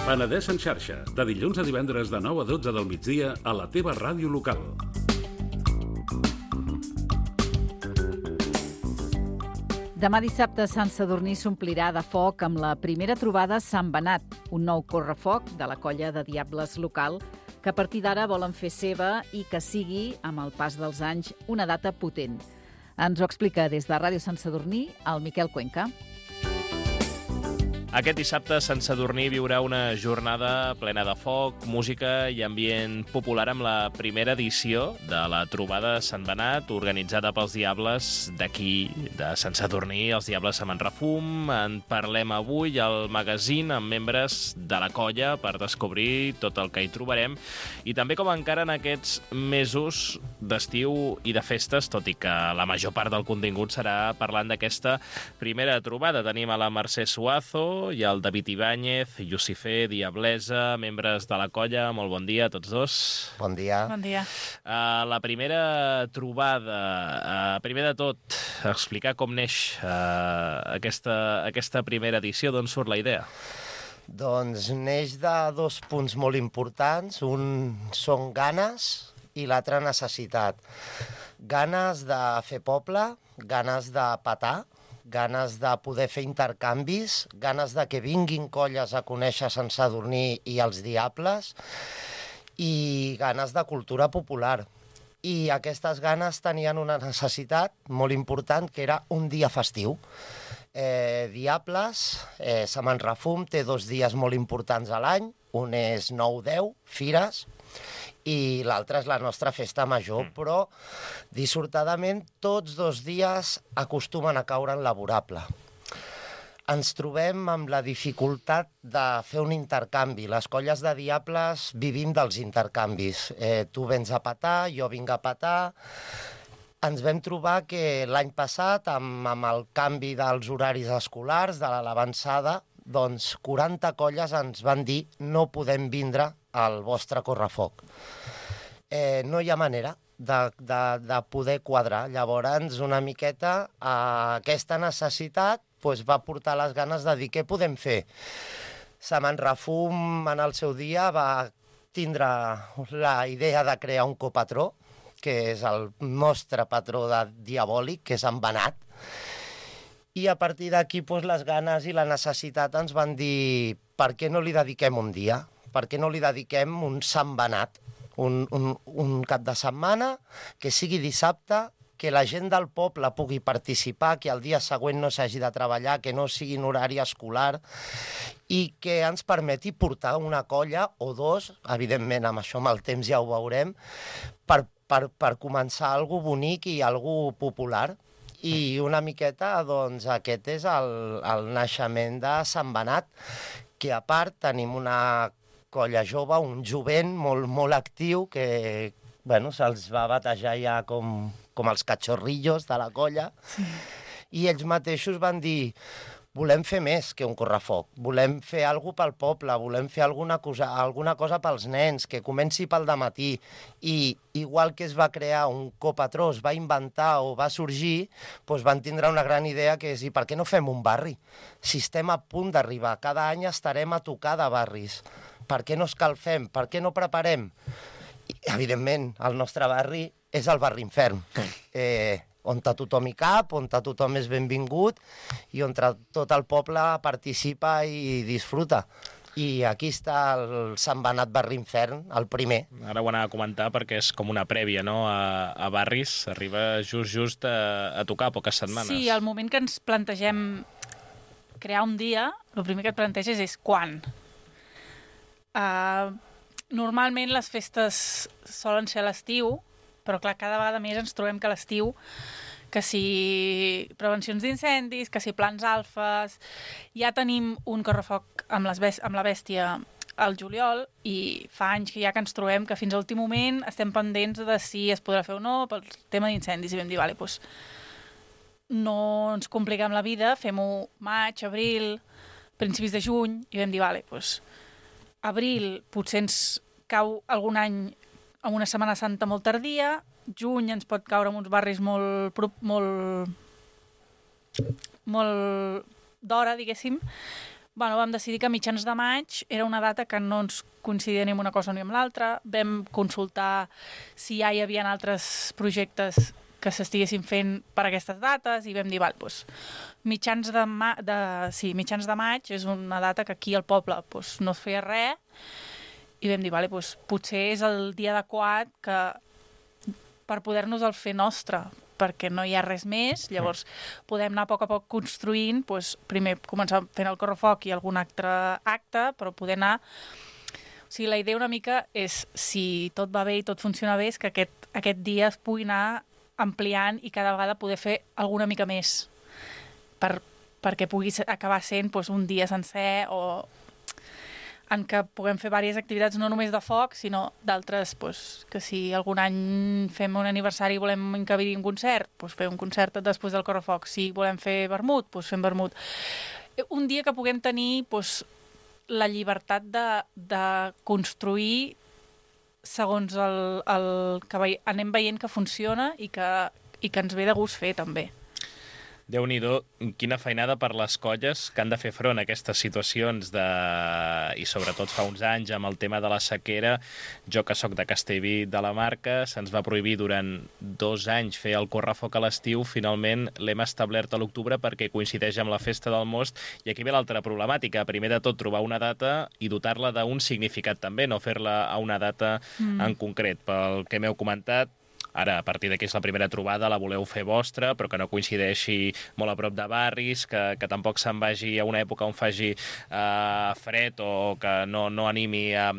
Penedès en xarxa, de dilluns a divendres de 9 a 12 del migdia a la teva ràdio local. Demà dissabte Sant Sadurní s'omplirà de foc amb la primera trobada Sant Benat, un nou correfoc de la colla de diables local que a partir d'ara volen fer seva i que sigui, amb el pas dels anys, una data potent. Ens ho explica des de Ràdio Sant Sadurní el Miquel Cuenca. Aquest dissabte Sant Sadurní viurà una jornada plena de foc, música i ambient popular amb la primera edició de la trobada Sant Benat, organitzada pels Diables d'aquí, de Sant Sadurní, els Diables a Manrefum. En parlem avui al magazín amb membres de la colla per descobrir tot el que hi trobarem i també com encara en aquests mesos d'estiu i de festes, tot i que la major part del contingut serà parlant d'aquesta primera trobada. Tenim a la Mercè Suazo i el David Ibáñez, Lucifer, Diablesa, membres de la colla. Molt bon dia a tots dos. Bon dia. Bon dia. La primera trobada, primer de tot, explicar com neix aquesta primera edició, d'on surt la idea? Doncs neix de dos punts molt importants. Un són ganes i l'altre necessitat. Ganes de fer poble, ganes de petar, ganes de poder fer intercanvis, ganes de que vinguin colles a conèixer Sant Sadurní i els Diables i ganes de cultura popular. I aquestes ganes tenien una necessitat molt important, que era un dia festiu. Diables, Sant Manrefum té 2 dies molt importants a l'any, un és 9-10, Fires, i l'altre és la nostra festa major, però dissortadament tots 2 dies acostumen a caure en laborable. Ens trobem amb la dificultat de fer un intercanvi. Les colles de diables vivim dels intercanvis. Tu vens a petar, jo vinc a petar. Ens vam trobar que l'any passat, amb el canvi dels horaris escolars, de l'avançada, doncs 40 colles ens van dir no podem vindre al vostre correfoc. No hi ha manera de poder quadrar. Llavors, una miqueta, aquesta necessitat va portar les ganes de dir què podem fer. Sant Manrefum, en el seu dia, va tindre la idea de crear un copatró, que és el nostre patró diabòlic, que és en Benat. I a partir d'aquí les ganes i la necessitat ens van dir per què no li dediquem un dia? Per què no li dediquem un Sant Benat? Un cap de setmana, que sigui dissabte, que la gent del poble pugui participar, que el dia següent no s'hagi de treballar, que no sigui en horari escolar i que ens permeti portar una colla o 2, evidentment amb això amb el temps ja ho veurem, per començar alguna bonic i alguna popular. I una miqueta, doncs, aquest és el naixement de Sant Benat, que a part tenim una colla jove, un jovent molt actiu, que se'ls va batejar ja com els cachorrillos de la colla, i ells mateixos van dir volem fer més que un correfoc, volem fer alguna cosa pel poble, volem fer alguna cosa pels nens, que comenci pel dematí. I igual que es va crear un copatró, es va inventar o va sorgir, van tindre una gran idea, que és i per què no fem un barri? Si estem a punt d'arribar, cada any estarem a tocar de barris. Per què no escalfem? Per què no preparem? I, evidentment, el nostre barri és el barri infern. On tothom hi cap, on tothom és benvingut i on tot el poble participa i disfruta. I aquí està el Sant Benat Barri Infern, el primer. Ara ho anava a comentar perquè és com una prèvia, no?, a barris. Arriba just a tocar poques setmanes. Sí, al moment que ens plantegem crear un dia, el primer que et planteges és quan. Normalment les festes solen ser a l'estiu, però clar, cada vegada més ens trobem que a l'estiu, que si prevencions d'incendis, que si plans alfes, ja tenim un correfoc amb la bèstia al juliol i fa anys que ja que ens trobem que fins a l'últim moment estem pendents de si es podrà fer o no pel tema d'incendis i vam dir, vale, doncs no ens compliquem la vida, fem-ho maig, abril, principis de juny, i vam dir, vale, doncs abril potser ens cau algun any amb una Setmana Santa molt tardia, juny ens pot caure en uns barris molt d'hora, diguéssim, Vam decidir que a mitjans de maig era una data que no ens coincidia ni amb una cosa ni amb l'altra. Vam consultar si ja hi havia altres projectes que s'estiguessin fent per aquestes dates i vam dir, mitjans de maig és una data que aquí al poble no es feia res i vam dir, potser és el dia adequat per poder-nos el fer nostre, perquè no hi ha res més, llavors podem anar a poc construint, primer començar fent el correfoc i algun altre acte, però poder anar... O sigui, la idea una mica és, si tot va bé i tot funciona bé, és que aquest dia es pugui anar ampliant i cada vegada poder fer alguna mica més perquè pugui acabar sent un dia sencer o en què puguem fer diverses activitats no només de foc, sinó d'altres, que si algun any fem un aniversari i volem encabir un concert, fer un concert després del correfoc. Si volem fer vermut, fem vermut. Un dia que puguem tenir la llibertat de construir segons el que anem veient que funciona i que ens ve de gust fer, també. Déu-n'hi-do, quina feinada per les colles que han de fer front a aquestes situacions i sobretot fa uns anys amb el tema de la sequera. Jo, que sóc de Castellví de la Marca, se'ns va prohibir durant 2 anys fer el correfoc a l'estiu. Finalment l'hem establert a l'octubre perquè coincideix amb la festa del most, i aquí ve l'altra problemàtica. Primer de tot, trobar una data i dotar-la d'un significat també, no fer-la a una data en concret. Pel que m'heu comentat, ara, a partir d'aquí és la primera trobada, la voleu fer vostra, però que no coincideixi molt a prop de barris, que tampoc se'n vagi a una època on faci fred o que no animi a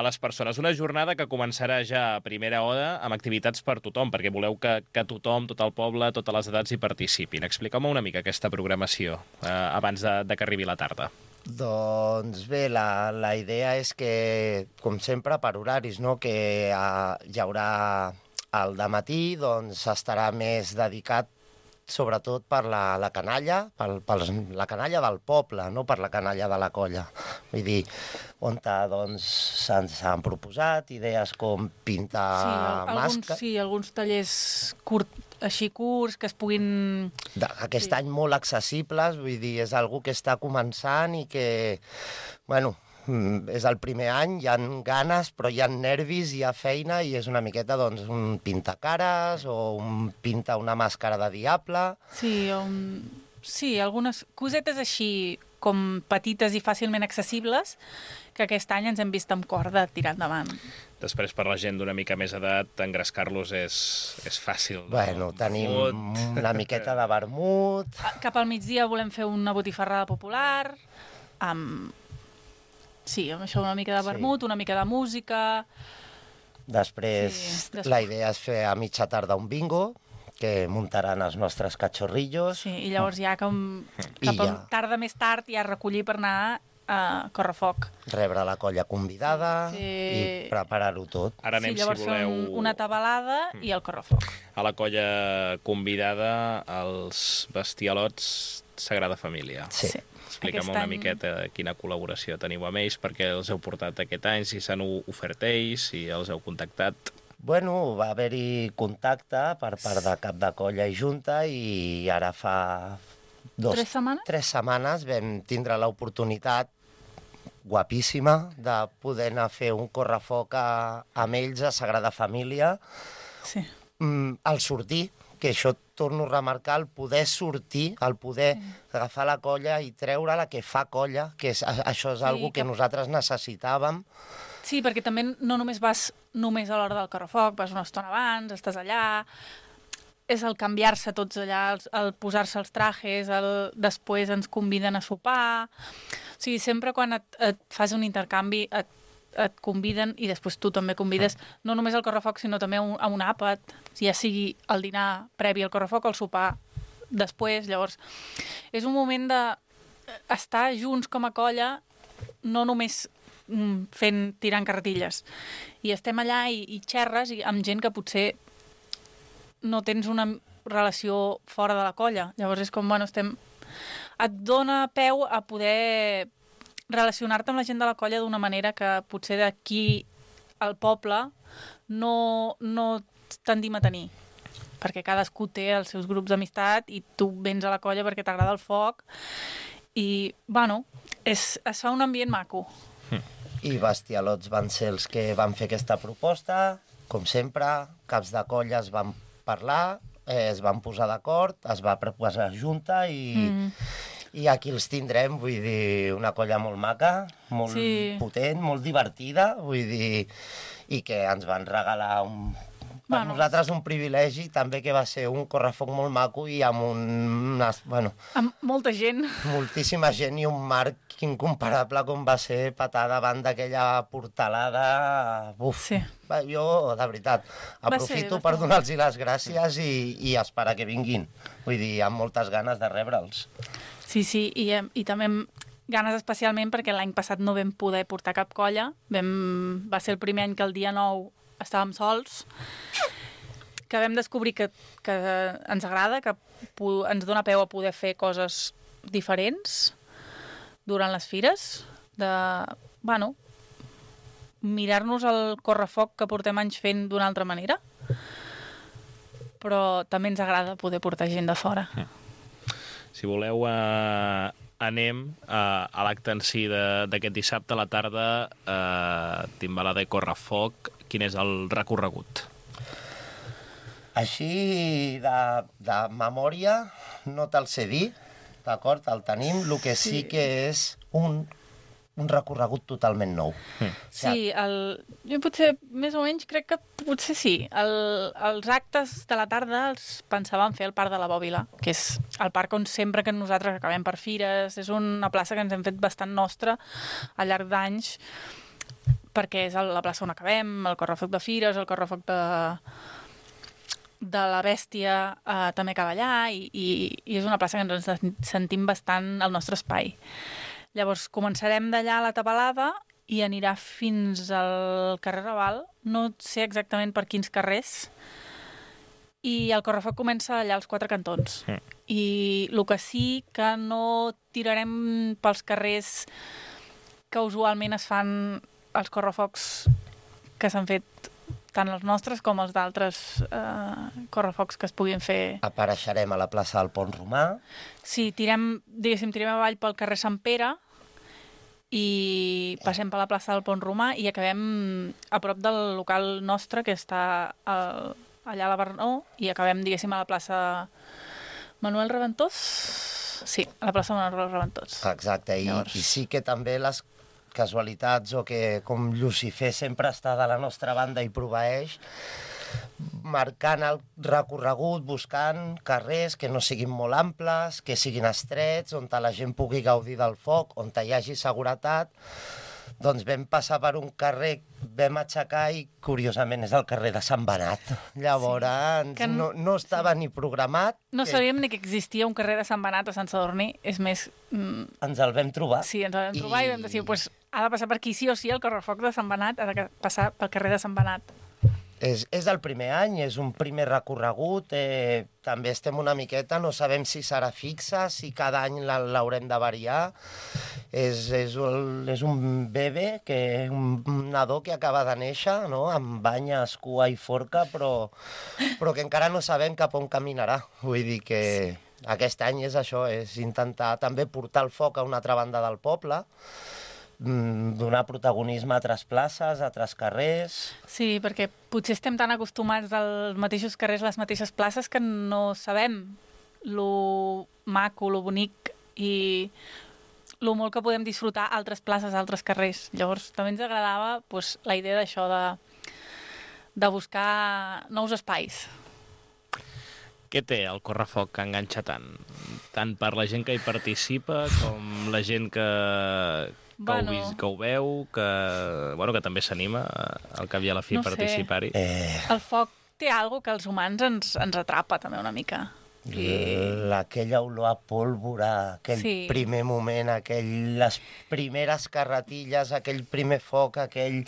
les persones. Una jornada que començarà ja a primera hora amb activitats per tothom, perquè voleu que tothom, tot el poble, totes les edats hi participin. Expliqueu-me una mica aquesta programació abans de que arribi la tarda. Doncs bé, la idea és que, com sempre, per horaris, no? Que hi haurà... El dematí estarà més dedicat sobretot per la canalla, per la canalla del poble, no per la canalla de la colla. Vull dir, on s'han proposat idees com pintar màscares... Sí, alguns tallers així curts, que es puguin... Aquest any molt accessibles, vull dir, és algo que està començant i que, bueno... És el primer any, hi ha ganes, però hi ha nervis, hi ha feina, i és una miqueta, un pintacares o un pinta una màscara de diable. Sí, algunes cosetes així com petites i fàcilment accessibles, que aquest any ens hem vist amb cor de tirar endavant. Després, per la gent d'una mica més edat, engrescar-los és fàcil. Bueno, tenim una miqueta de vermut... Cap al migdia volem fer una botifarrada popular, amb... Sí, amb això una mica de vermut, una mica de música... Després, la idea és fer a mitja tarda un bingo, que muntaran els nostres cachorrillos. Sí, i llavors ja cap a tarda més tard ja recollir per anar a correfoc. Rebre la colla convidada i preparar-ho tot. Ara anem, llavors si voleu... una tabalada i el correfoc. A la colla convidada, els bestialots Sagrada Família. Sí. Expliquem una miqueta quina col·laboració teniu amb ells, perquè els heu portat aquest any, si s'han ofert ells, si els heu contactat. Bueno, va haver-hi contacte per part de cap de colla i junta, i ara fa 3 setmanes? 3 setmanes vam tindre l'oportunitat guapíssima de poder anar a fer un correfoc amb ells a Sagrada Família. Sí. Al sortir, que això torno a remarcar, el poder sortir, el poder agafar la colla i treure-la, que fa colla, que això és algo que nosaltres necessitàvem. Sí, perquè també no només vas només a l'hora del correfoc, vas una estona abans, estàs allà, és el canviar-se tots allà, el posar-se els trajes, després ens conviden a sopar... O sigui, sempre quan et fas un intercanvi et conviden i després tu també convides no només al correfoc, sinó també a un àpat, ja sigui el dinar previ al correfoc o el sopar després. Llavors, és un moment d'estar junts com a colla, no només tirant carretilles. I estem allà i xerres amb gent que potser no tens una relació fora de la colla. Llavors és com, bueno, et dona peu a poder relacionar-te amb la gent de la colla d'una manera que potser d'aquí al poble no tendim a tenir, perquè cadascú té els seus grups d'amistat i tu vens a la colla perquè t'agrada el foc i, bueno, es fa un ambient maco. I Bestialots van ser els que van fer aquesta proposta, com sempre, caps de colla es van parlar, es van posar d'acord, es va proposar junta i aquí els tindrem, vull dir, una colla molt maca, molt potent, molt divertida, vull dir, i que ens van regalar per nosaltres un privilegi també que va ser un correfoc molt maco i amb amb molta gent. Moltíssima gent i un marc incomparable com va ser petar davant d'aquella portalada. Uf, sí. Jo, de veritat, aprofito per donar-los les gràcies i esperar que vinguin. Vull dir, amb moltes ganes de rebre'ls. Sí, i també ganes especialment perquè l'any passat no vam poder portar cap colla. Va ser el primer any que el dia 9 estàvem sols, que vam descobrir que ens agrada, que ens dona peu a poder fer coses diferents durant les fires, mirar-nos el correfoc que portem anys fent d'una altra manera, però també ens agrada poder portar gent de fora. Si voleu, anem a l'acte en si d'aquest dissabte a la tarda, Timbalada i Correfoc. Quin és el recorregut? Així, de memòria, no te'l sé dir, d'acord? El tenim, el que sí que és un recorregut totalment nou. Sí, jo potser, més o menys, crec que potser sí. Els actes de la tarda els pensàvem fer al Parc de la Bòbila, que és el parc on sempre que nosaltres acabem per fires. És una plaça que ens hem fet bastant nostra al llarg d'anys, perquè és la plaça on acabem, el correfoc de fires, el correfoc de la Bèstia també acaba allà, i és una plaça que ens sentim bastant al nostre espai. Llavors, començarem d'allà a la Tabalada i anirà fins al carrer Raval, no sé exactament per quins carrers, i el correfoc comença allà als 4 cantons. I el que sí que no tirarem pels carrers que usualment es fan els correfocs que s'han fet tant els nostres com els d'altres correfocs que es puguin fer. Apareixerem a la plaça del Pont Romà. Sí, tirem avall pel carrer Sant Pere i passem per la plaça del Pont Romà i acabem a prop del local nostre, que està allà a la Bernó, i acabem, diguéssim, a la plaça Manuel Reventós. Sí, a la plaça Manuel Reventós. Exacte, i sí que també les casualitats, o que com Lucifer sempre està de la nostra banda i proveeix, marcant el recorregut, buscant carrers que no siguin molt amples, que siguin estrets, on la gent pugui gaudir del foc, on hi hagi seguretat. Doncs vam passar per un carrer, vam aixecar i, curiosament, és el carrer de Sant Benat. Llavors, sí, no estava ni programat. No sabíem ni que existia un carrer de Sant Benat a Sant Sadurní, és més... Ens el vam trobar. Sí, ens el vam trobar i vam dir, pues, ha de passar per aquí sí o sí, el correfoc de Sant Benat ha de passar pel carrer de Sant Benat. És el primer any, és un primer recorregut, també estem una miqueta, no sabem si serà fixa, si cada any l'haurem de variar. És un bebè, un nadó que acaba de néixer, no? Amb banyes, cua i forca, però que encara no sabem cap on caminarà. Vull dir que aquest any és això, és intentar també portar el foc a una altra banda del poble, donar protagonisme a altres places, a altres carrers... Sí, perquè potser estem tan acostumats als mateixos carrers, les mateixes places, que no sabem lo maco, lo bonic i lo molt que podem disfrutar altres places, altres carrers. Llavors, també ens agradava la idea d'això, de buscar nous espais. Què té el correfoc que enganxa tant? Tant per la gent que hi participa com la gent que ho veu, que també s'anima al cap i a la fi a participar-hi. El foc té alguna cosa que els humans ens atrapa també una mica. Aquella olor a pólvora, aquell primer moment, les primeres carretilles, aquell primer foc, aquell...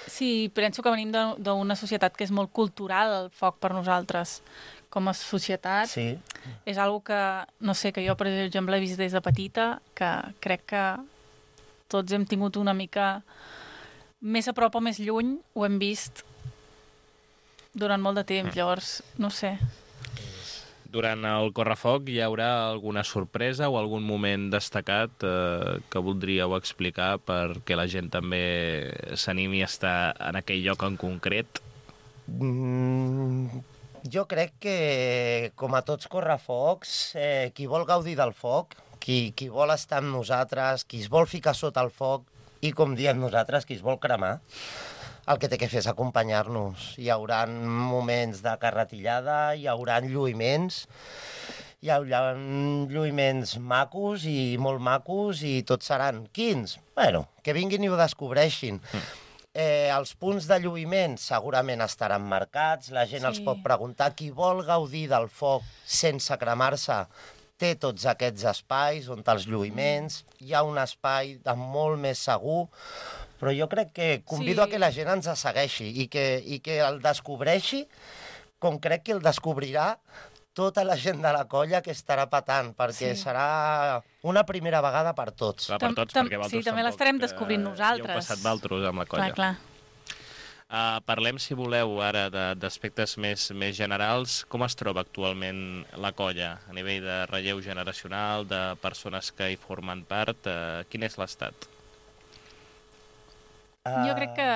Sí, penso que venim d'una societat que és molt cultural, el foc per nosaltres. Com a societat, sí. És algo que, no sé, que jo, per exemple, he vist des de petita, que crec que tots hem tingut una mica més a prop o més lluny, ho hem vist durant molt de temps, llavors, no sé. Durant el correfoc hi haurà alguna sorpresa o algun moment destacat que voldríeu explicar perquè la gent també s'animi a estar en aquell lloc en concret? Jo crec que, com a tots correfocs, qui vol gaudir del foc, qui vol estar amb nosaltres, qui es vol ficar sota el foc i, com diem nosaltres, qui es vol cremar, el que té que fer és acompanyar-nos. Hi haurà moments de carretillada, hi haurà lluïments, macos i molt macos i tots seran quins. Bueno, que vinguin i ho descobreixin. Els punts de lluïment segurament estaran marcats, la gent els pot preguntar. Qui vol gaudir del foc sense cremar-se té tots aquests espais on els lluïments, hi ha un espai molt més segur, però jo crec que convido a que la gent ens segueixi i que el descobreixi, com crec que el descobrirà tota la gent de la colla que estarà patant, perquè serà una primera vegada per tots. Clar, per tots, perquè vosaltres també l'estarem descobrint nosaltres. Hi heu passat vosaltres amb la colla. Clar. Parlem, si voleu, ara d'aspectes més generals. Com es troba actualment la colla a nivell de relleu generacional, de persones que hi formen part? Quin és l'estat? Jo crec que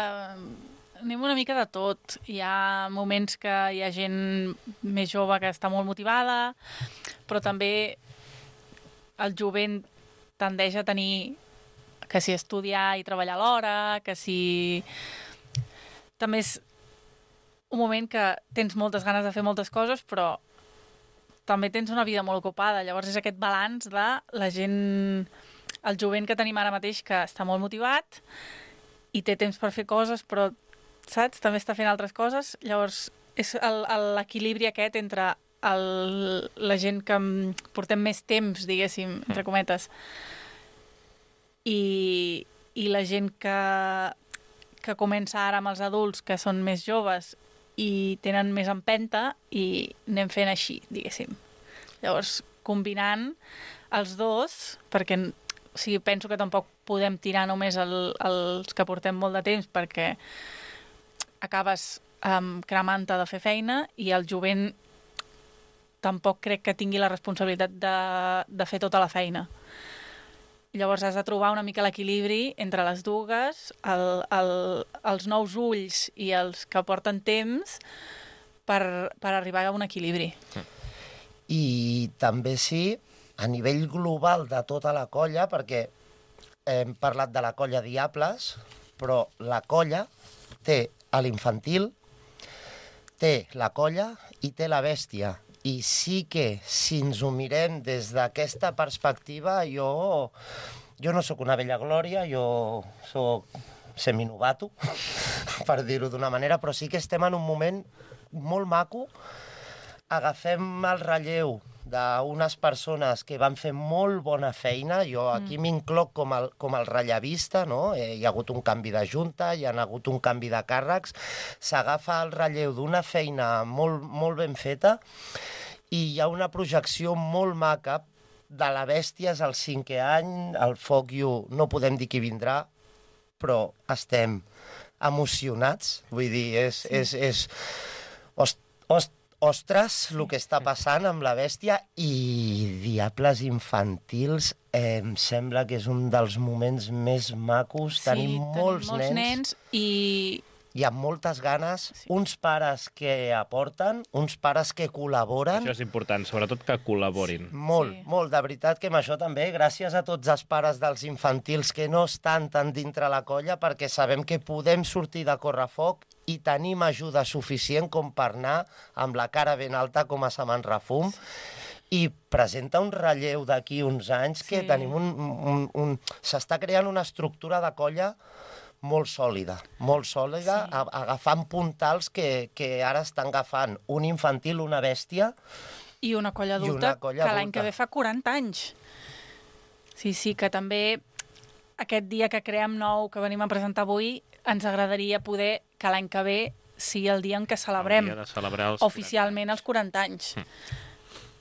anem una mica de tot. Hi ha moments que hi ha gent més jove que està molt motivada, però també el jovent tendeix a tenir que si estudiar i treballar alhora, que si... També és un moment que tens moltes ganes de fer moltes coses, però també tens una vida molt ocupada. Llavors és aquest balanç de la gent, el jovent que tenim ara mateix, que està molt motivat i té temps per fer coses, però, saps, també està fent altres coses. Llavors és l'equilibri aquest entre la gent que portem més temps, diguéssim, entre cometes, i la gent que comença ara amb els adults, que són més joves i tenen més empenta, i anem fent així, diguéssim. Llavors, combinant els dos, perquè penso que tampoc podem tirar només els que portem molt de temps, perquè acabes cremant-te de fer feina, i el jovent tampoc crec que tingui la responsabilitat de fer tota la feina. Llavors has de trobar una mica l'equilibri entre les dues, els nous ulls i els que porten temps, per arribar a un equilibri. I també a nivell global de tota la colla, perquè hem parlat de la colla Diables, però la colla té l'infantil, té la colla i té la bèstia. I sí que, si ens ho mirem des d'aquesta perspectiva, jo no sóc una vella glòria, jo sóc seminovato, per dir-ho d'una manera, però sí que estem en un moment molt maco. Agafem el relleu d'unes persones que van fer molt bona feina. Jo aquí m'incloc com el rellevista, no? Hi ha hagut un canvi de junta, hi ha hagut un canvi de càrrecs. S'agafa el relleu d'una feina molt, molt ben feta i hi ha una projecció molt maca de la bèstia. És el 5è any, el Foc You no podem dir qui vindrà, però estem emocionats. Vull dir, ostres, el que està passant amb la bèstia. I Diables infantils em sembla que és un dels moments més macos. Tenim molts nens i amb moltes ganes, uns pares que aporten, uns pares que col·laboren. Això és important, sobretot que col·laborin. Molt, de veritat que amb això també, gràcies a tots els pares dels infantils que no estan tan dintre la colla, perquè sabem que podem sortir de correfoc i tenim ajuda suficient com per anar amb la cara ben alta com a Saman Refum, i presenta un relleu d'aquí uns anys que tenim s'està creant una estructura de colla molt sòlida, agafant puntals que ara estan agafant un infantil, una bèstia... I una colla adulta que l'any que ve fa 40 anys. Sí, que també aquest dia que creem nou, que venim a presentar avui, ens agradaria poder que l'any que ve sigui el dia en què celebrem oficialment els 40 anys.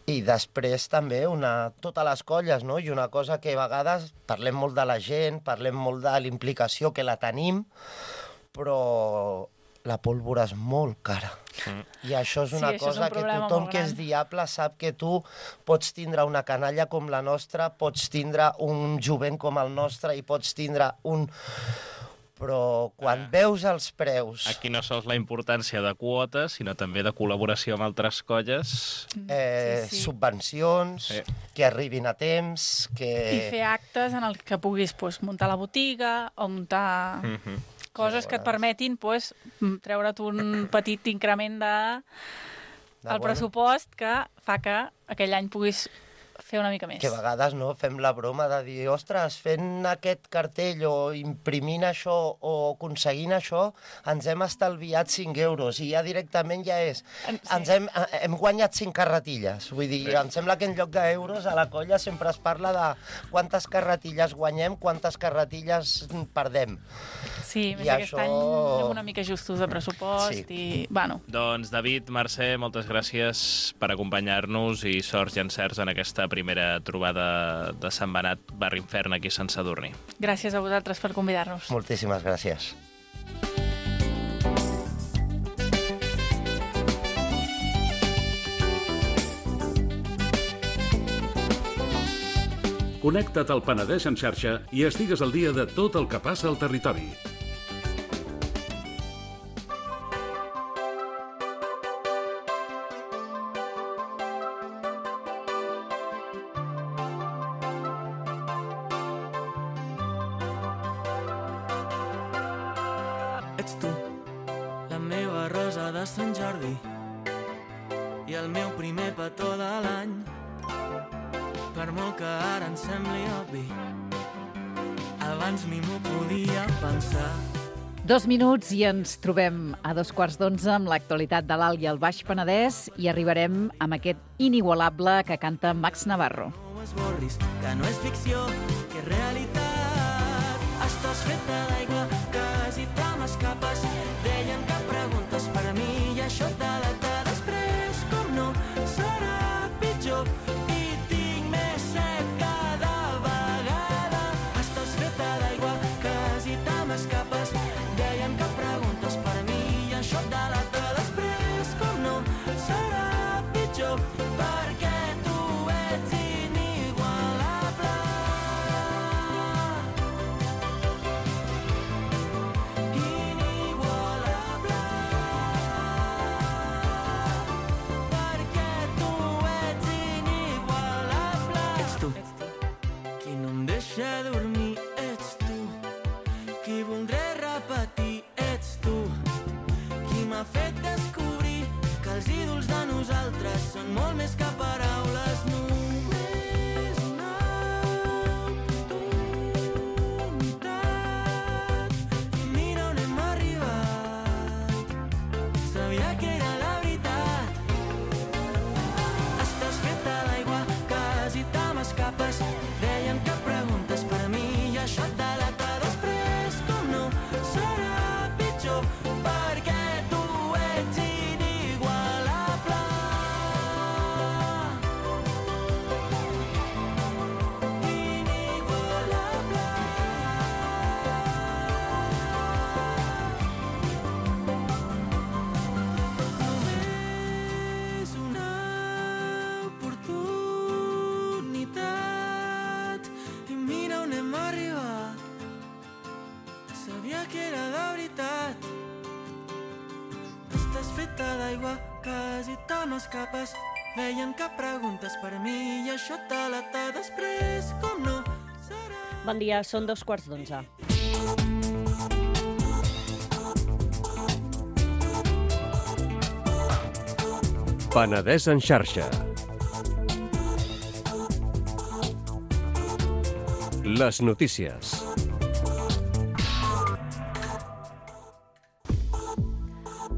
I després també totes les colles, no? I una cosa que a vegades parlem molt de la gent, parlem molt de l'implicació que la tenim, però la pólvora és molt cara. I això és una cosa que tothom que és diable sap que tu pots tindre una canalla com la nostra, pots tindre un jovent com el nostre i pots tindre un... Però quan veus els preus... Aquí no sols la importància de quotes, sinó també de col·laboració amb altres colles. Subvencions, que arribin a temps... I fer actes en els que puguis muntar la botiga o muntar coses que et permetin treure't un petit increment del pressupost que fa que aquell any puguis fer una mica més. Que a vegades fem la broma de dir, ostres, fent aquest cartell o imprimint això o aconseguint això, ens hem estalviat 5 euros i ja directament ja és. Hem guanyat 5 carretilles. Vull dir, em sembla que en lloc d'euros a la colla sempre es parla de quantes carretilles guanyem, quantes carretilles perdem. Sí, més aquest any anem una mica justos de pressupost i... Doncs David, Mercè, moltes gràcies per acompanyar-nos i sorts i encerts en aquesta primera trobada de Sant Benat, Barri Infern, aquí a Sant Sadurní. Gràcies a vosaltres per convidar-nos. Moltíssimes gràcies. Connecta't al Penedès en xarxa i estigues al dia de tot el que passa al territori. Ets tu, la meva rosa de Sant Jordi i el meu primer petó de l'any. Per molt que ara em sembli obvi, abans ni m'ho podia pensar. 2 minuts i ens trobem a 11:15 amb l'actualitat de l'Alt i el Baix Penedès i arribarem amb aquest inigualable que canta Max Navarro. No esborris, que no és ficció, que és realitat. Estàs feta d'aigua, quasi te m'escapes. Deien que preguntes per mi i això et delata. Després, com no, serà pitjor. Són molt més que paraules, només una oportunitat. I mira on hem arribat, sabia que era la veritat. Estàs feta d'aigua, quasi te m'escapes. Deien que preguntes per mi i això et delata. Després, com no, serà pitjor, perquè tu ets inigualable. Quasi te m'escapes. Deien que preguntes per mi i això et delata. Després, com no, serà... Bon dia, són 11:15. Penedès en xarxa. Les notícies.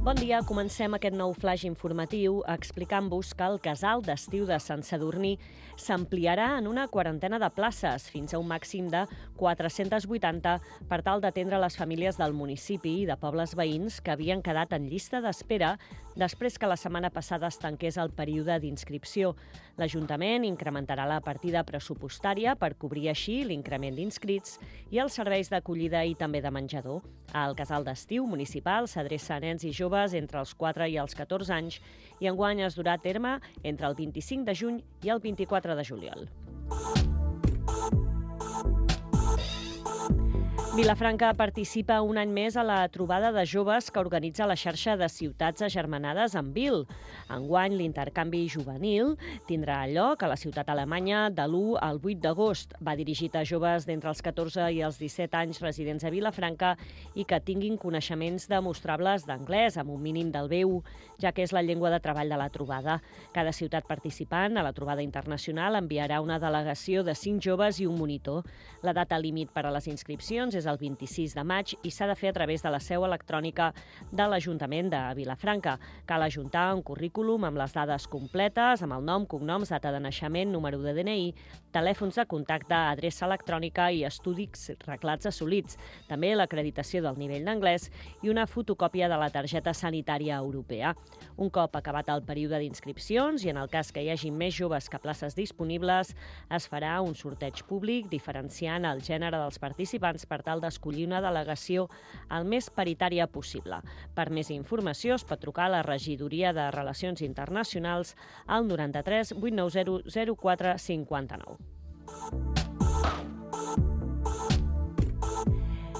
Bon dia, comencem aquest nou flash informatiu explicant-vos que el casal d'estiu de Sant Sadurní s'ampliarà en una quarantena de places, fins a un màxim de 480, per tal d'atendre les famílies del municipi i de pobles veïns que havien quedat en llista d'espera després que la setmana passada es tanqués el període d'inscripció. L'Ajuntament incrementarà la partida pressupostària per cobrir així l'increment d'inscrits i els serveis d'acollida i també de menjador. El casal d'estiu municipal s'adreça a nens i joves entre els 4 i els 14 anys i enguany es durà a terme entre el 25 de juny i el 24 de juliol. Vilafranca participa un any més a la trobada de joves que organitza la xarxa de ciutats agermanades amb Vil. Enguany, l'intercanvi juvenil tindrà lloc a la ciutat alemanya de l'1 al 8 d'agost. Va dirigit a joves d'entre els 14 i els 17 anys residents a Vilafranca i que tinguin coneixements demostrables d'anglès amb un mínim del B1, ja que és la llengua de treball de la trobada. Cada ciutat participant a la trobada internacional enviarà una delegació de 5 joves i un monitor. La data límit per a les inscripcions és el 26 de maig i s'ha de fer a través de la seu electrònica de l'Ajuntament de Vilafranca. Cal ajuntar un currículum amb les dades completes, amb el nom, cognoms, data de naixement, número de DNI, telèfons de contacte, adreça electrònica i estudis reglats assolits, també l'acreditació del nivell d'anglès i una fotocòpia de la targeta sanitària europea. Un cop acabat el període d'inscripcions i en el cas que hi hagi més joves que places disponibles, es farà un sorteig públic diferenciant el gènere dels participants per tal d'escollir una delegació el més paritària possible. Per més informació es pot trucar a la Regidoria de Relacions Internacionals al 93 890 0459.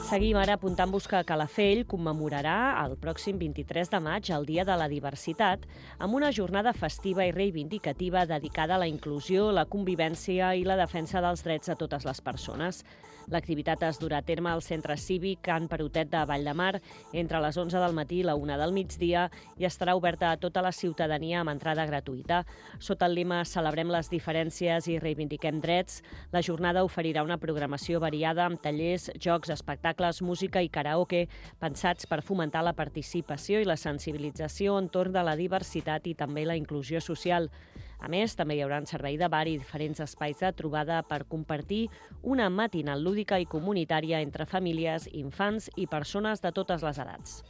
Seguim ara apuntant-vos que Calafell commemorarà el pròxim 23 de maig el Dia de la Diversitat amb una jornada festiva i reivindicativa dedicada a la inclusió, la convivència i la defensa dels drets de totes les persones. L'activitat es durà a terme al Centre Cívic Can Perotet de Valldemar entre les 11 del matí i la 1 del migdia i estarà oberta a tota la ciutadania amb entrada gratuïta. Sota el lema Celebrem les diferències i reivindiquem drets, la jornada oferirà una programació variada amb tallers, jocs, espectacles, música i karaoke pensats per fomentar la participació i la sensibilització entorn de la diversitat i també la inclusió social. A més, també hi haurà un servei de bar i diferents espais de trobada per compartir una matinal lúdica i comunitària entre famílies, infants i persones de totes les edats.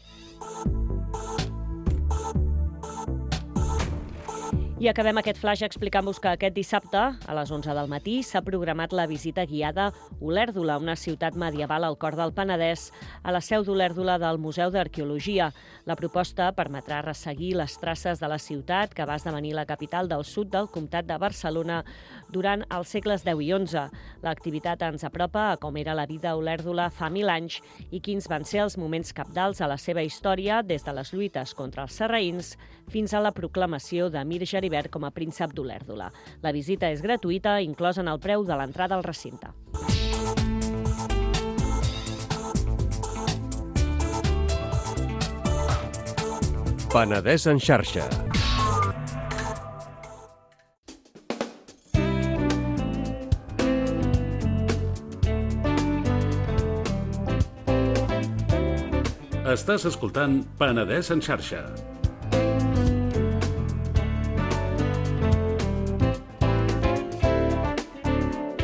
I acabem aquest flash explicant-vos que aquest dissabte, a les 11 del matí, s'ha programat la visita guiada Olèrdola, una ciutat medieval al cor del Penedès, a la seu d'Olèrdola del Museu d'Arqueologia. La proposta permetrà resseguir les traces de la ciutat que va esdevenir la capital del sud del comtat de Barcelona durant els segles X i XI. L'activitat ens apropa a com era la vida a Olèrdola fa 1000 anys i quins van ser els moments cabdals a la seva història des de les lluites contra els sarraïns fins a la proclamació d'Emir Geribert com a príncep d'Olèrdola. La visita és gratuïta, inclosa en el preu de l'entrada al recinte. Penedès en xarxa. Estàs escoltant Penedès en xarxa.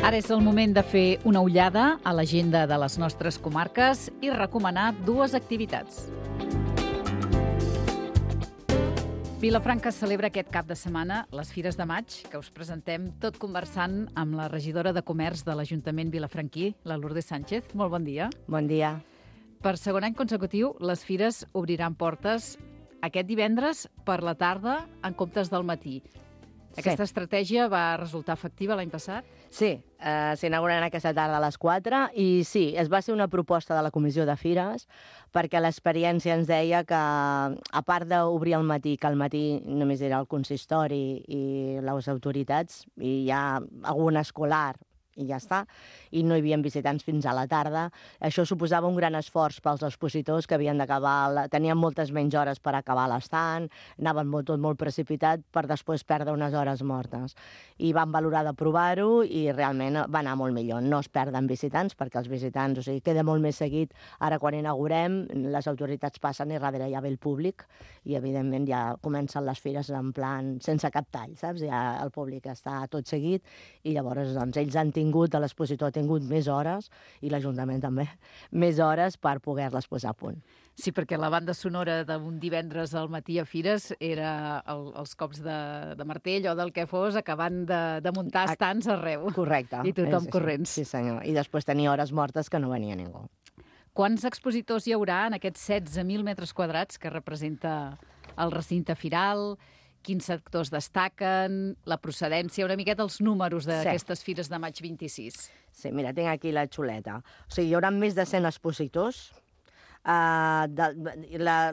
Ara és el moment de fer una ullada a l'agenda de les nostres comarques i recomanar 2 activitats. Vilafranca celebra aquest cap de setmana les Fires de Maig, que us presentem tot conversant amb la regidora de Comerç de l'Ajuntament vilafranquí, la Lourdes Sánchez. Molt bon dia. Bon dia. Per segon any consecutiu, les fires obriran portes aquest divendres per la tarda en comptes del matí. Aquesta estratègia va resultar efectiva l'any passat? Sí, s'inauguren aquesta tarda a les 4 i sí, es va ser una proposta de la Comissió de Fires perquè l'experiència ens deia que, a part d'obrir al matí, que al matí només era el consistori i les autoritats i hi ha algun escolar i ja està, i no hi havia visitants fins a la tarda. Això suposava un gran esforç pels expositors que havien d'acabar, tenien moltes menys hores per acabar l'estant, anaven tot molt precipitat per després perdre unes hores mortes. I van valorar de provar-ho i realment va anar molt millor. No es perden visitants perquè els visitants, o sigui, queda molt més seguit. Ara quan inaugurem, les autoritats passen i darrere ja ve el públic i evidentment ja comencen les fires en plan sense cap tall, saps? Ja el públic està tot seguit i llavors doncs, ells han tingut, l'expositor ha tingut més hores i l'Ajuntament també, més hores per poder-les posar a punt. Sí, perquè la banda sonora d'un divendres al matí a Fires era els cops de martell o del que fos acabant de muntar estants arreu. Correcte. I tothom corrents. Sí, senyor. I després tenia hores mortes que no venia ningú. Quants expositors hi haurà en aquests 16.000 metres quadrats que representa el recinte firal? Quins sectors destaquen, la procedència, una miqueta els números d'aquestes fires de maig 26. Sí, mira, tinc aquí la xuleta. O sigui, hi haurà més de 100 expositors.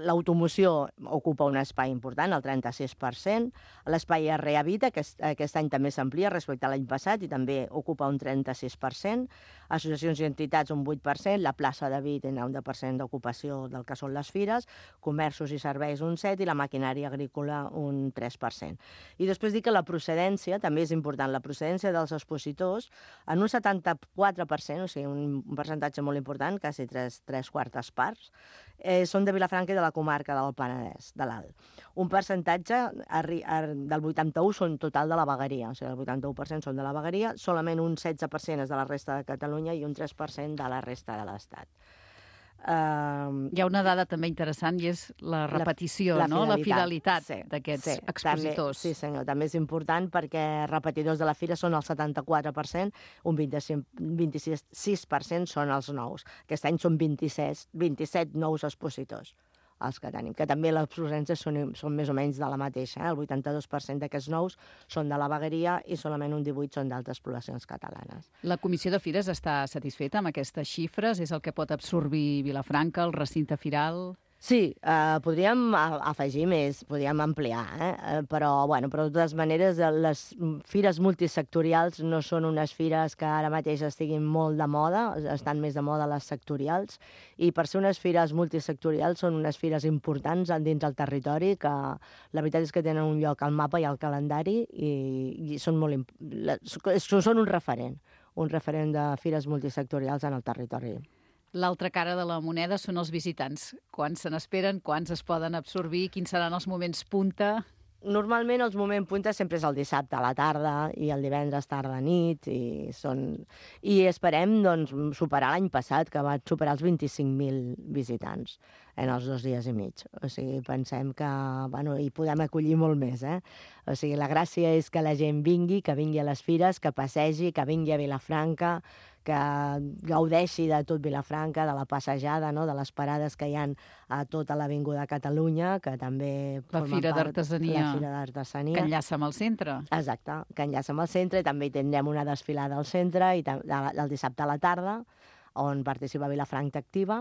L'automoció ocupa un espai important, el 36%. L'espai Rehabita, que aquest any també s'amplia respecte a l'any passat i també ocupa un 36%. Associacions i entitats un 8%, la plaça de Vi té un 10% d'ocupació del que són les fires, comerços i serveis un 7% i la maquinària agrícola un 3%. I després dic que la procedència també és important. La procedència dels expositors en un 74%, o sigui, un percentatge molt important, quasi 3/4 parts, són de Vilafranca i de la comarca del Penedès, de l'Alt. Un percentatge del 81% són total de la vegueria, o sigui, el 81% són de la vegueria, solament un 16% és de la resta de Catalunya i un 3% de la resta de l'Estat. Hi ha una dada també interessant i és la repetició, la fidelitat d'aquests expositors. Sí, senyor, també és important perquè repetidors de la fira són el 74%, un 26% són els nous. Aquest any són 27 nous expositors els que tenim, que també les procedències són més o menys de la mateixa. El 82% d'aquests nous són de la vegueria i solament un 18% són d'altres poblacions catalanes. La Comissió de Fires està satisfeta amb aquestes xifres? És el que pot absorbir Vilafranca, el recinte firal? Sí, podríem afegir més, podríem ampliar, però de totes maneres les fires multisectorials no són unes fires que ara mateix estiguin molt de moda, estan més de moda les sectorials, i per ser unes fires multisectorials són unes fires importants dins del territori que la veritat és que tenen un lloc al mapa i al calendari i són un referent de fires multisectorials en el territori. L'altra cara de la moneda són els visitants. Quants se n'esperen, quants es poden absorbir, quins seran els moments punta? Normalment els moments punta sempre és el dissabte a la tarda i el divendres tarda a nit i esperem superar l'any passat, que va superar els 25.000 visitants en els 2 dies i mig. O sigui, pensem que hi podem acollir molt més. O sigui, la gràcia és que la gent vingui, que vingui a les fires, que passegi, que vingui a Vilafranca, que gaudeixi de tot Vilafranca, de la passejada, de les parades que hi ha a tota l'Avinguda Catalunya, que també la Fira d'Artesania, que enllaça amb el centre. Exacte, que enllaça amb el centre, i també hi tindrem una desfilada al centre el dissabte a la tarda, on participa Vilafranca Activa,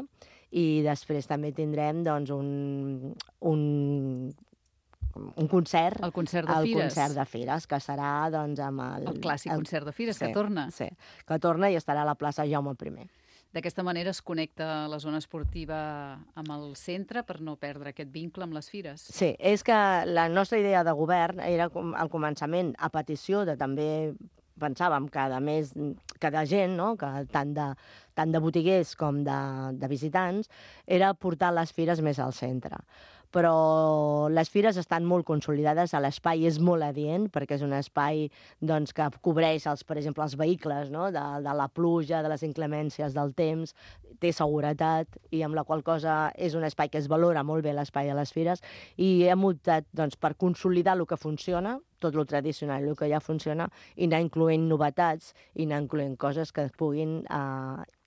i després també tindrem un concert. El concert de Fires. El concert de Fires, que serà amb el clàssic concert de Fires, que torna. Sí, que torna i estarà a la plaça Jaume I. D'aquesta manera es connecta la zona esportiva amb el centre per no perdre aquest vincle amb les fires. Sí, és que la nostra idea de govern era al començament, a petició de també pensàvem que de gent, que tant de botiguers com de visitants, era portar les fires més al centre. Però les fires estan molt consolidades, l'espai és molt adient, perquè és un espai que cobreix, per exemple, els vehicles de la pluja, de les inclemències del temps, té seguretat, i amb la qual cosa és un espai que es valora molt bé l'espai de les fires, i hem optat per consolidar el que funciona, tot el tradicional, el que ja funciona, i anar incloent novetats, i anar incloent coses que puguin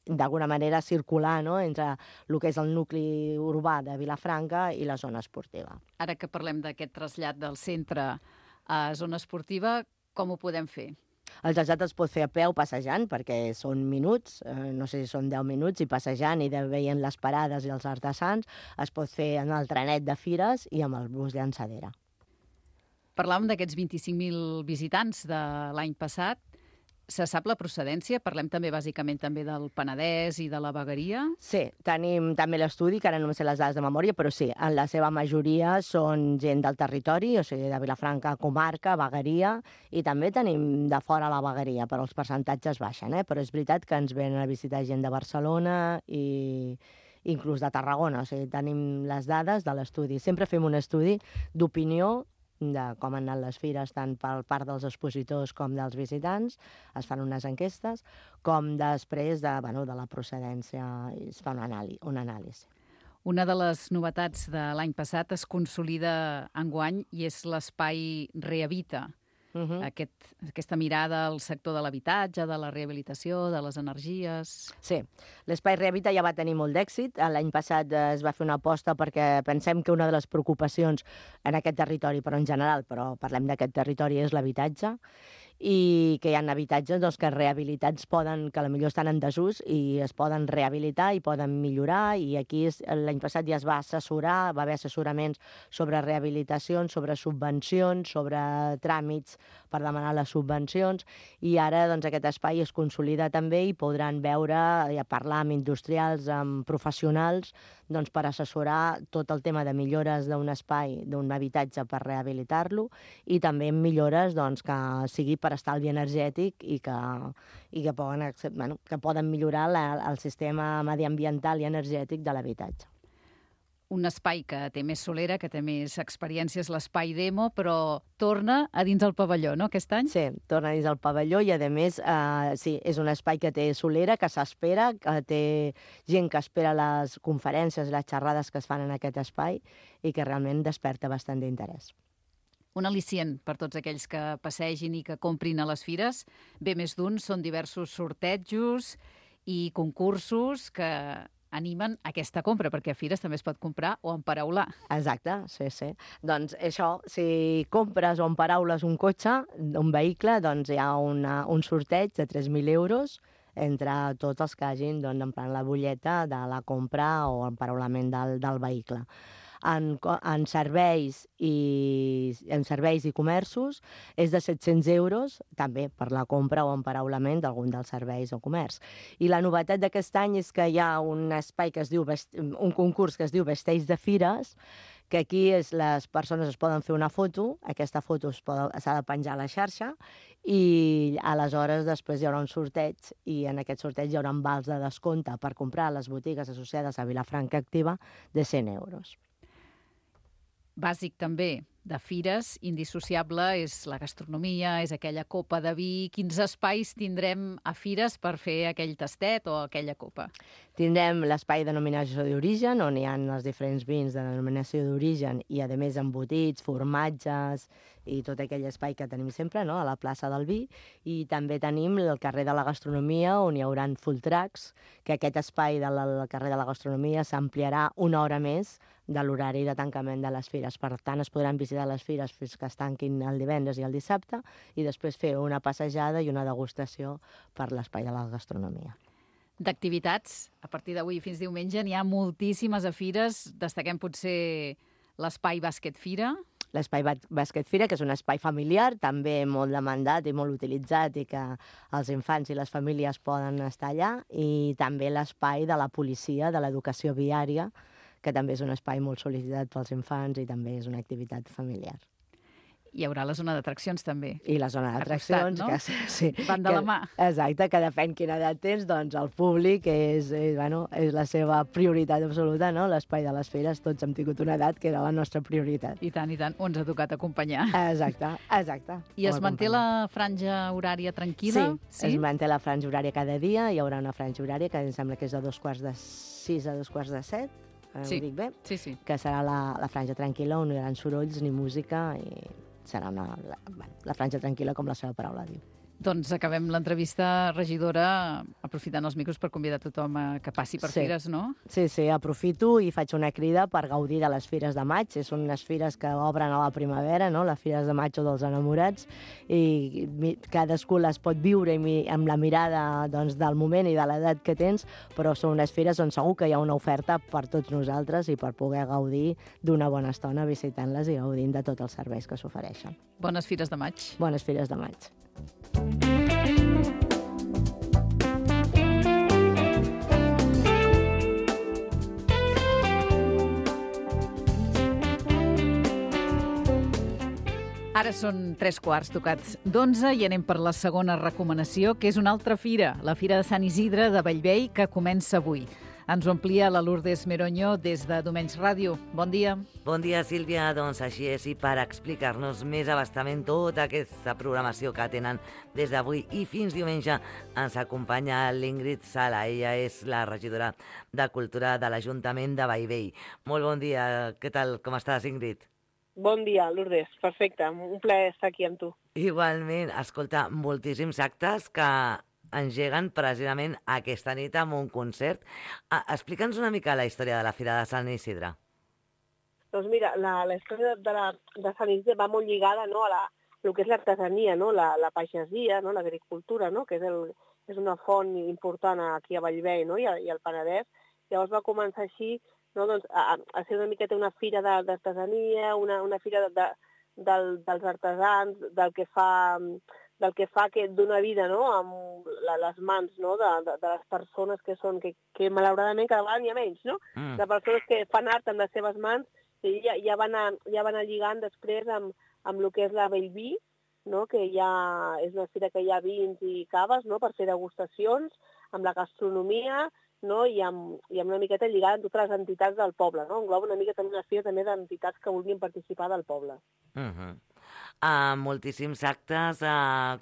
d'alguna manera circular entre el que és el nucli urbà de Vilafranca i la zona esportiva. Ara que parlem d'aquest trasllat del centre a zona esportiva, com ho podem fer? El trasllat es pot fer a peu passejant, perquè són minuts, no sé si són 10 minuts, i passejant i veient les parades i els artesans. Es pot fer en el trenet de fires i amb el bus llançadera. Parlàvem d'aquests 25.000 visitants de l'any passat. Se sap la procedència? Parlem també bàsicament també del Penedès i de la vegueria? Sí, tenim també l'estudi, que ara no em sé les dades de memòria, però sí, en la seva majoria són gent del territori, o sigui, de Vilafranca, comarca, vegueria, i també tenim de fora la vegueria, però els percentatges baixen, però és veritat que ens venen a visitar gent de Barcelona i inclús de Tarragona, o sigui, tenim les dades de l'estudi. Sempre fem un estudi d'opinió de com han anat les fires, tant per part dels expositors com dels visitants, es fan unes enquestes, com després de la procedència, es fa un anàlisi. Una de les novetats de l'any passat es consolida enguany i és l'espai Rehabita. Aquesta mirada al sector de l'habitatge, de la rehabilitació, de les energies... Sí, l'espai Rehabita ja va tenir molt d'èxit. L'any passat es va fer una aposta perquè pensem que una de les preocupacions en aquest territori, però en general, però parlem d'aquest territori, és l'habitatge, i que hi ha habitatges que rehabilitats que potser estan en desús i es poden rehabilitar i poden millorar, i aquí l'any passat ja es va assessorar, va haver assessoraments sobre rehabilitacions, sobre subvencions, sobre tràmits per demanar les subvencions, i ara aquest espai es consolida també i podran veure i parlar amb industrials, amb professionals, per assessorar tot el tema de millores d'un espai, d'un habitatge per rehabilitar-lo, i també millores que sigui per estalvi energètic i que poden millorar el sistema mediambiental i energètic de l'habitatge. Un espai que té més solera, que té més experiències, l'espai Demo, però torna a dins el pavelló, no, aquest any? Sí, torna a dins el pavelló i, a més, sí, és un espai que té solera, que s'espera, que té gent que espera les conferències, les xerrades que es fan en aquest espai i que realment desperta bastant d'interès. Un al·licient per tots aquells que passegin i que comprin a les fires. Bé, més d'un, són diversos sortejos i concursos que animen aquesta compra, perquè a fires també es pot comprar o emparaular. Exacte, sí. Doncs això, si compres o emparaules un cotxe, un vehicle, hi ha un sorteig de 3.000 euros entre tots els que hagin emprat la butlleta de la compra o emparaulament del vehicle. En serveis i comerços és de 700 euros, també per la compra o emparaulament d'algun dels serveis o comerç. I la novetat d'aquest any és que hi ha un espai un concurs que es diu Vesteix de Fires, que aquí les persones es poden fer una foto, aquesta foto s'ha de penjar a la xarxa, i aleshores després hi haurà un sorteig, i en aquest sorteig hi haurà vals de descompte per comprar a les botigues associades a Vilafranca Activa de 100 euros. Bàsic també de fires, indissociable, és la gastronomia, és aquella copa de vi. Quins espais tindrem a fires per fer aquell tastet o aquella copa? Tindrem l'espai de denominació d'origen, on hi ha els diferents vins de denominació d'origen i, a més, embotits, formatges i tot aquell espai que tenim sempre, a la plaça del vi. I també tenim el carrer de la gastronomia, on hi haurà food trucks, que aquest espai del carrer de la gastronomia s'ampliarà una hora més de l'horari de tancament de les fires. Per tant, es podran visitar les fires fins que es tanquin el divendres i el dissabte i després fer una passejada i una degustació per l'espai de la gastronomia. D'activitats, a partir d'avui fins diumenge n'hi ha moltíssimes a fires. Destaquem potser l'espai Bàsquet Fira. L'espai Bàsquet Fira, que és un espai familiar, també molt demandat i molt utilitzat, i que els infants i les famílies poden estar allà, i també l'espai de la policia, de l'educació viària, que també és un espai molt sol·licitat pels infants i també és una activitat familiar. Hi haurà la zona d'atraccions, també. I la zona d'atraccions, no? Que sí. Van de la mà. Exacte, que depèn quina edat tens, doncs el públic és la seva prioritat absoluta, no? L'espai de les fires, tots hem tingut una edat que era la nostra prioritat. I tant, o ens ha tocat acompanyar. Exacte. I es manté la franja horària tranquil·la? Sí, es manté la franja horària cada dia, hi haurà una franja horària que em sembla que és de 5:45 a 5:45, ho dic bé? Sí. Que serà la franja tranquil·la, on no hi haurà sorolls ni música, i serà la franja tranquil·la, com la seva paraula diu. Doncs acabem l'entrevista, regidora, aprofitant els micros per convidar tothom que passi per fires, no? Sí, aprofito i faig una crida per gaudir de les fires de maig. Són unes fires que obren a la primavera, no? Les fires de maig o dels enamorats, i cadascú les pot viure amb la mirada del moment i de l'edat que tens, però són unes fires on segur que hi ha una oferta per tots nosaltres i per poder gaudir d'una bona estona visitant-les i gaudint de tots els serveis que s'ofereixen. Bones fires de maig. Bones fires de maig. Ara són 3 quarts tocats d'11 i anem per la segona recomanació, que és una altra fira, la Fira de Sant Isidre de Bellvei, que comença avui. Ens ho amplia la Lourdes Meroño des de Domenys Ràdio. Bon dia. Bon dia, Sílvia. Doncs així és, i per explicar-nos més abastament tota aquesta programació que tenen des d'avui i fins diumenge, ens acompanya l'Ingrid Sala. Ella és la regidora de Cultura de l'Ajuntament de Bellvei. Molt bon dia. Què tal? Com estàs, Ingrid? Bon dia, Lourdes. Perfecte. Un plaer estar aquí amb tu. Igualment. Escolta, moltíssims actes que engeguen precisament aquesta nit amb un concert. Explica'ns una mica la història de la Fira de Sant Isidre. Doncs mira, la història de Sant Isidre va molt lligada, no, a el que és l'artesania, no, la pagesia, no, l'agricultura, no, que és una font important aquí a Bellvei, no, i al Penedès. Llavors va començar així, no, doncs, a ser una miqueta una fira d'artesania, una fira dels artesans, del que fa que dona vida, no, amb les mans, no, de les persones que malauradament cada vegada n'hi ha menys, no? De persones que fan art amb les seves mans, i ja van anar lligant després amb el que és la Bellví, no, que és una fira que hi ha vins i caves, no, per fer degustacions, amb la gastronomia, no, i amb una miqueta lligada amb totes les entitats del poble, no? Engloba una mica també una fira també d'entitats que vulguin participar del poble. Moltíssims actes,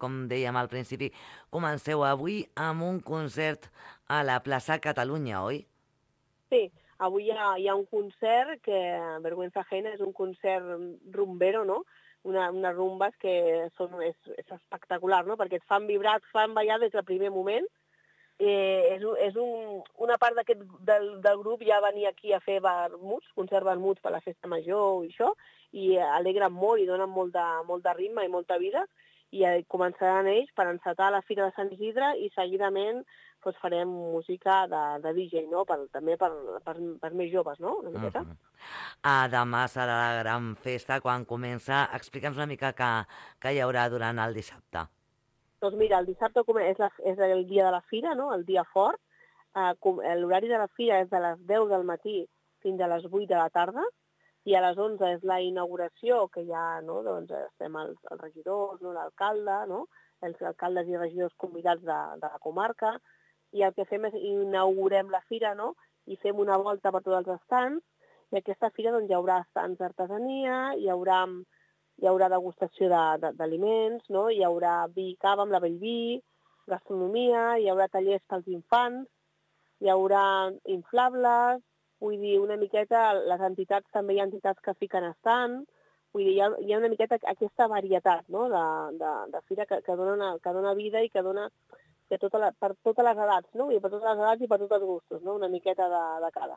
com dèiem al principi. Comenceu avui amb un concert a la plaça Catalunya, oi? Sí, avui hi ha un concert que, vergüenza ajena, és un concert rumbero, no? Unes rumbes que és espectacular, no? Perquè et fan vibrar, et fan ballar des del primer moment. Una part del grup ja venia aquí a fer vermuts, concert vermuts per la festa major i això, i alegren molt i donen molt de ritme i molta vida, i començaran ells per encetar la Fira de Sant Isidre i seguidament farem música de DJ, no? També per més joves, no? Una miqueta. Demà serà la gran festa quan comença. Explica'ns una mica què hi haurà durant el dissabte. Doncs mira, el dissabte és el dia de la fira, no? El dia fort. L'horari de la fira és de les 10 del matí fins a les 8 de la tarda, i a les 11 és la inauguració, que ja, no, doncs estem els regidors, no, l'alcalde, no, els alcaldes i regidors convidats de la comarca, i el que fem és inaugurem la fira, no, i fem una volta per tots els estants, i aquesta fira doncs, hi haurà estants d'artesania, hi haurà degustació d'aliments, no, hi haurà vi i cava amb la Bellví, gastronomia, hi haurà tallers pels infants, hi haurà inflables. Vull dir, una miqueta, les entitats, també hi ha entitats que fiquen estant, vull dir, hi ha una miqueta aquesta varietat, no?, de fira que dona vida i que dona per totes les edats, no? I per totes les edats i per tots els gustos, no? Una miqueta de cada.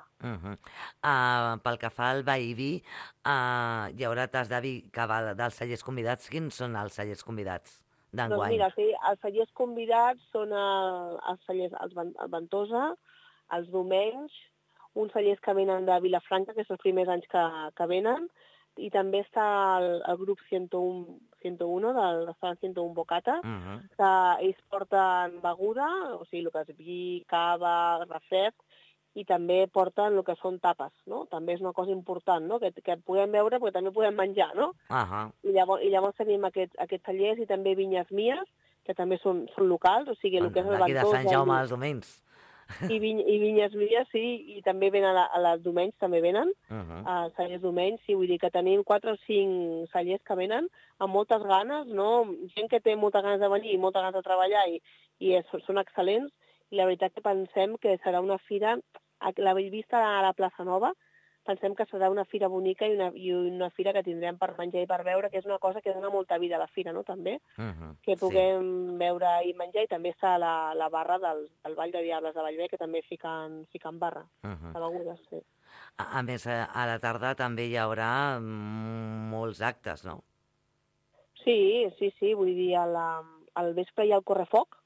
Pel que fa al vi i vi, hi haurà tas de vi que va dels cellers convidats. Quins són els cellers convidats d'enguany? Doncs mira, sí, els cellers convidats són els cellers el Ventosa, els Domenys, uns cellers que venen de Vilafranca, que són els primers anys que venen, i també està el grup 101 del restaurant 101 Bocata, que ells porten beguda, o sigui, el que és vi, cava, refresc, i també porten el que són tapes, no? També és una cosa important, no? Que podem veure, però també podem menjar, no? I llavors tenim aquests cellers i també vinyes mies, que també són locals, o sigui, el que és el Ventosa. Aquí de Sant Jaume als Domenys. I vinyes mies, sí, i també venen a les Domenys, també venen, a cellers Domenys, sí, vull dir que tenim 4 o 5 cellers que venen amb moltes ganes, no? Gent que té moltes ganes de venir i moltes ganes de treballar i són excel·lents, i la veritat que pensem que serà una fira, la Bellvista a la plaça Nova, pensem que serà una fira bonica i una fira que tindrem per menjar i per beure, que és una cosa que dona molta vida a la fira, no?, també, que puguem beure i menjar, i també està la barra del Ball de Diables de Bellvei, que també fiquen barra de begudes, sí. A més, a la tarda també hi haurà molts actes, no? Sí, vull dir, al vespre hi ha el correfoc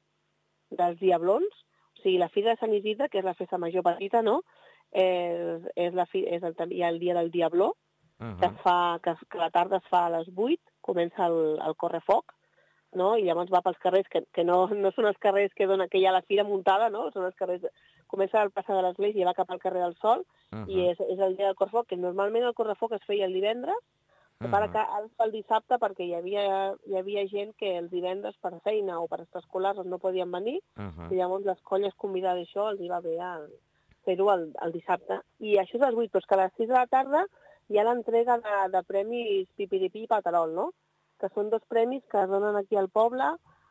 dels Diablons, o sigui, la Fira de Sant Isidre, que és la festa major petita, no?, hi ha el dia del Diabló, que la tarda es fa a les 8, comença el correfoc, no? I llavors va pels carrers, que no són els carrers que hi ha la fira muntada, no? Són els carrers, comença al plaça de l'Església i va cap al carrer del Sol, i és el dia del correfoc, que normalment el correfoc es feia el divendres, Para que ara es fa el dissabte perquè hi havia gent que els divendres per feina o per extraescolars no podien venir i llavors les colles convidades això els hi va bé fer-ho el dissabte. I això és a les 8, però és que a les 6 de la tarda hi ha l'entrega de premis Pipiripí i Paterol, no? Que són 2 premis que es donen aquí al poble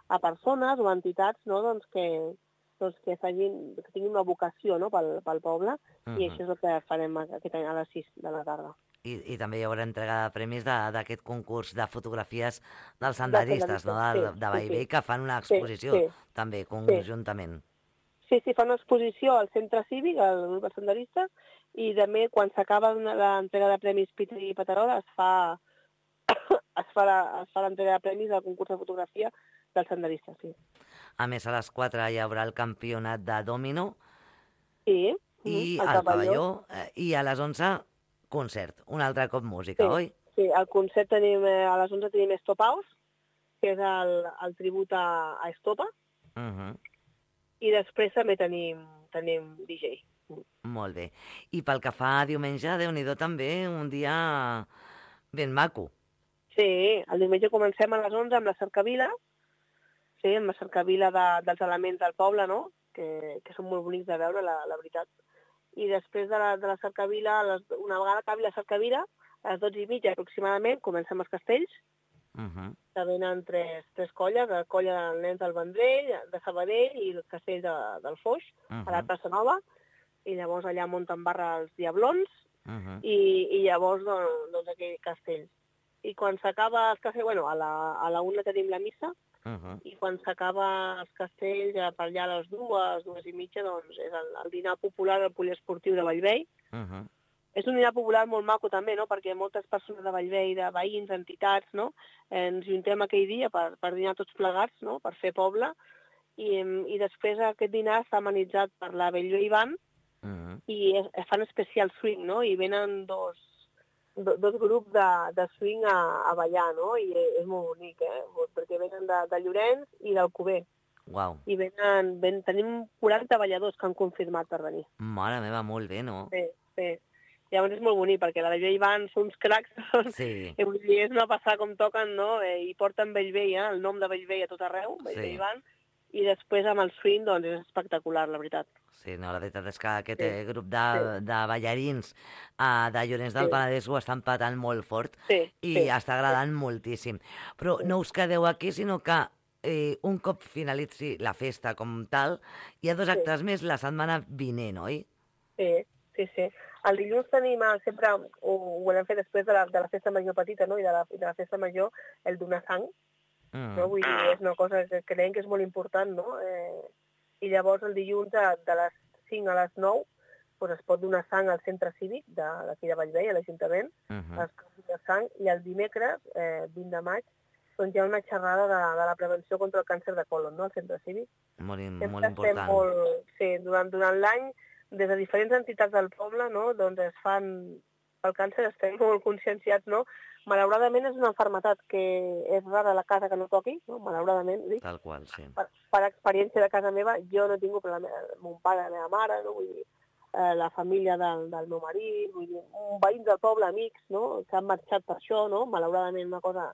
a persones o entitats, no? que tinguin una vocació, no? pel poble, i això és el que farem aquest any a les 6 de la tarda. I també hi haurà entrega de premis d'aquest concurs de fotografies dels senderistes, no? de Bellvei, que fan una exposició també conjuntament. Sí, fan una exposició al centre cívic, al grup de senderistes, i també quan s'acaba l'entrega de premis Peter i Paterol es fa l'entrega de premis al concurs de fotografia dels senderistes, sí. A més, a les 4 hi haurà el campionat de dòmino i el pavelló, i a les 11 concert, un altre cop música, oi? Sí, al concert a les 11 tenim Estopaus, que és el tribut a Estopa, i després també tenim DJ. Molt bé. I pel que fa a diumenge, Déu-n'hi-do també, un dia ben maco. Sí, el diumenge comencem a les 11 amb la cercavila, amb la cercavila dels elements del poble, no? Que són molt bonics de veure, la veritat. I després de la cercavila, una vegada acabi la cercavila, a les 12:30 aproximadament, comencem els castells, que venen tres colles, la colla dels nens del Vendrell, de Sabadell i el castell del Foix, a la plaça Nova, i llavors allà munten barra els Diablons, i llavors doncs aquell castell. I quan s'acaba el castell, a la 1 tenim la missa, i quan s'acaba els castells, per allà a les 2:30, doncs és el dinar popular al poliesportiu de Bellvei. És un dinar popular molt maco també, no? Perquè moltes persones de Bellvei, de veïns, entitats, no? Ens juntem aquell dia per dinar tots plegats, no? Per fer poble, i després aquest dinar està amenitzat per la Bellvei Band i fan especial swing, no? I venen dos grups de swing a ballar, no? I és molt bonic, perquè venen de Llorenç i d'Alcover. Uau. I tenim 40 balladors que han confirmat per venir. Mare meva, molt bé, no? Sí. Llavors és molt bonic, perquè la Bellvei Band són uns cracs, vull dir, és una passada com toquen, no? I porten Bellvei, el nom de Bellvei a tot arreu, Bellvei Band, i després amb el swing, doncs és espectacular, la veritat. Sí, no, la veritat és que aquest grup de ballarins de Llorenç del Penedès ho estan patant molt fort i està agradant moltíssim. Però no us quedeu aquí, sinó que un cop finalitzi la festa com tal, hi ha 2 actes més la setmana vinent, oi? Sí. El dilluns tenim sempre, ho volem fer després de la festa major petita, no? I de la festa major, el donar sang. No? Vull dir, és una cosa que creiem que és molt important, no? I llavors el dilluns de les 5 a les 9 doncs es pot donar sang al centre cívic d'aquí de Bellvei, a l'Ajuntament, es pot donar sang, i el dimecres, 20 de maig, doncs hi ha una xerrada de la prevenció contra el càncer de colon, no?, al centre cívic. Molt important. Sí, durant l'any, des de diferents entitats del poble, no?, doncs es fan pel càncer, estem molt conscienciats, no? Malauradament és una malaltia que és rara a la casa que no toqui, no? Malauradament, dic. Tal qual, sí. Per experiència de casa meva, jo no he tingut mon pare, la meva mare, no? Vull dir, la família del meu marit, vull dir, veïns del poble, amics, no?, que han marxat per això, no?, malauradament una cosa,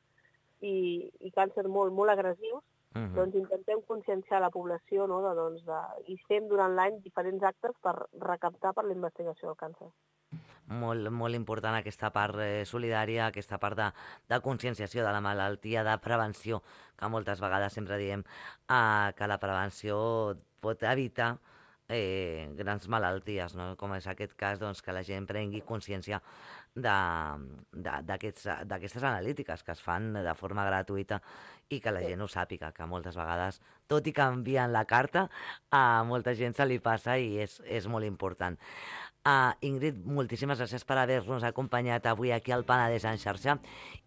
i càncer molt agressius, doncs intentem conscienciar la població, no?, i fem durant l'any diferents actes per recaptar per la investigació del càncer. Molt important aquesta part solidària, aquesta part de conscienciació de la malaltia, de prevenció, que moltes vegades sempre diem que la prevenció pot evitar grans malalties, no? Com és aquest cas, doncs, que la gent prengui consciència d'aquestes analítiques que es fan de forma gratuïta i que la gent ho sàpiga, que moltes vegades, tot i que envien la carta, a molta gent se li passa i és molt important. Ingrid, moltíssimes gràcies per haver-nos acompanyat avui aquí al Penedès en xarxa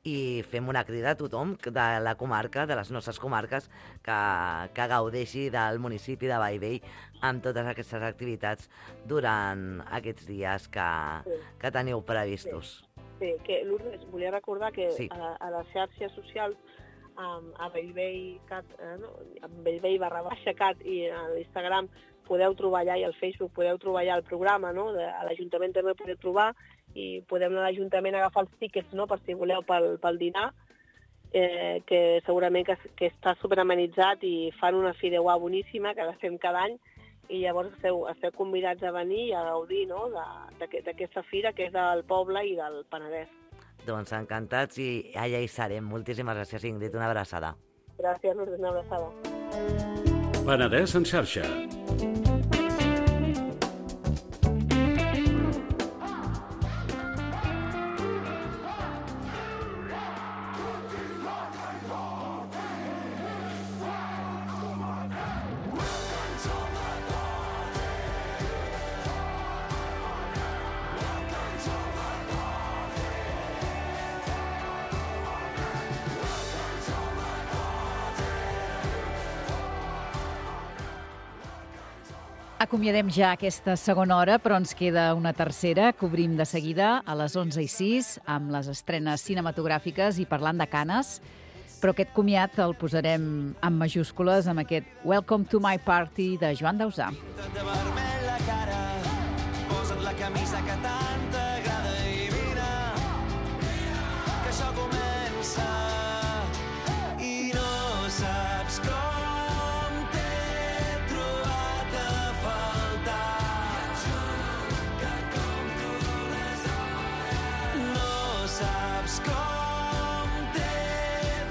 i fem una crida a tothom de la comarca, de les nostres comarques, que gaudeixi del municipi de Bellvei amb totes aquestes activitats durant aquests dies que teniu previstos. Sí, que Lourdes, volia recordar que a les xarxes socials, a Bellvei.cat, a Bellvei_cat i a l'Instagram podeu trobar allà, i al Facebook podeu trobar allà el programa, no? A l'Ajuntament també podeu trobar, i podem anar a l'Ajuntament a agafar els tíquets, no?, per si voleu pel dinar, que segurament que està superamenitzat i fan una fideuà boníssima, que la fem cada any, i llavors esteu convidats a venir i a gaudir, no?, d'aquesta fira que és del poble i del Penedès. Doncs encantats i allà hi serem. Moltíssimes gràcies, Ingrid. Una abraçada. Gràcies, Lourdes, una abraçada. Penedès en xarxa. Acomiadem ja aquesta segona hora, però ens queda una tercera. Cobrim de seguida a les 11:06 amb les estrenes cinematogràfiques i parlant de Canes. Però aquest comiat el posarem en majúscules amb aquest Welcome to my party de Joan Dausà. De vermell la cara, posa't la camisa que tant t'agrada i vine, que això comença i no saps com t'he trobat a faltar. Que com tu les hores no saps com t'he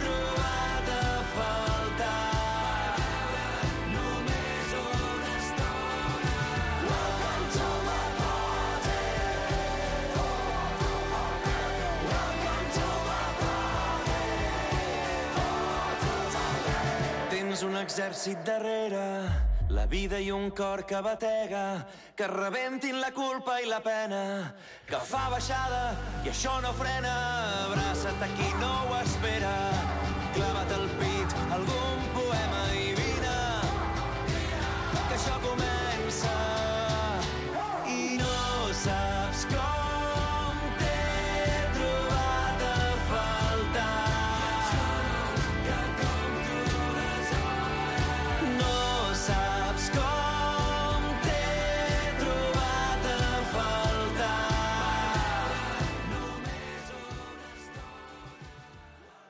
trobat a faltar. Només una estona. Welcome to my party. Welcome to my party. Tens un exèrcit darrere, la vida i un cor que batega, que rebentin la culpa i la pena, que fa baixada i això no frena. Abraça't a qui no ho espera, clava't al pit algun